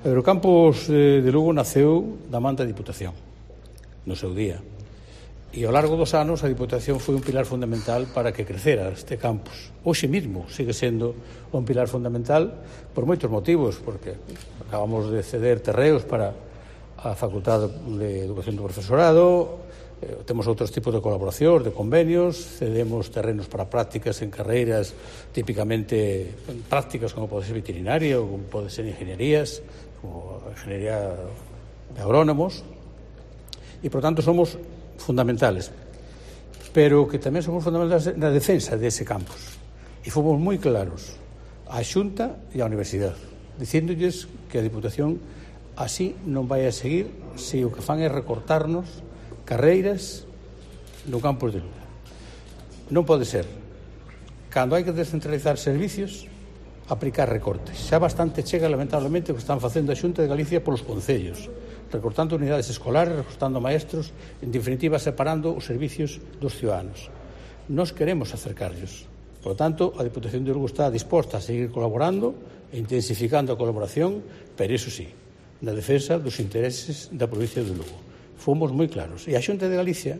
Eurocampus de Lugo naceu da man da Diputación, no seu día. E ao largo dos anos a Diputación foi un pilar fundamental para que crecera este campus. Hoxe mesmo sigue sendo un pilar fundamental por moitos motivos, porque acabamos de ceder terreos para a Facultade de Educación do Profesorado, temos outros tipos de colaboración, de convenios, cedemos terrenos para prácticas en carreiras típicamente prácticas como pode ser veterinaria ou como pode ser ingenierías, como a ingeniería de agrónomos, e, por tanto, somos fundamentales, pero que tamén somos fundamentales na defensa dese campus. E fomos moi claros á Xunta e á Universidade, dicíndolles que a Diputación así non vai a seguir se o que fan é recortarnos carreiras no campus de Lugo. Non pode ser, cando hai que descentralizar servicios, aplicar recortes. Xa bastante chega, lamentablemente, o que están facendo a Xunta de Galicia polos concellos, recortando unidades escolares, recortando maestros, en definitiva, separando os servicios dos ciudadanos. Nos queremos acercarlos. Por lo tanto, a Diputación de Lugo está disposta a seguir colaborando e intensificando a colaboración, pero iso sí, na defensa dos intereses da provincia de Lugo. Fomos moi claros. E a Xunta de Galicia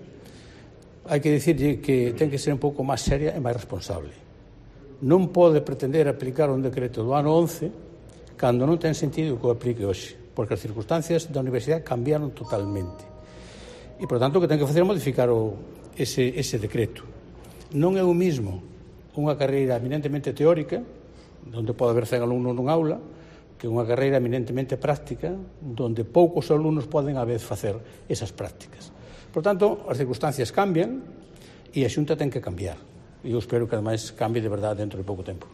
hai que dicirlle que ten que ser un pouco máis seria e máis responsable. Non pode pretender aplicar un decreto do ano 11 cando non ten sentido que o aplique hoxe, porque as circunstancias da universidade cambiaron totalmente. E, por tanto, o que ten que facer é modificar ese decreto. Non é o mismo unha carreira eminentemente teórica, onde pode haber 100 alumnos nun aula, que unha carreira eminentemente práctica, onde poucos alumnos poden a vez facer esas prácticas. Por tanto, as circunstancias cambian e a Xunta ten que cambiar. E eu espero que, ademais, cambie de verdade dentro de pouco tempo.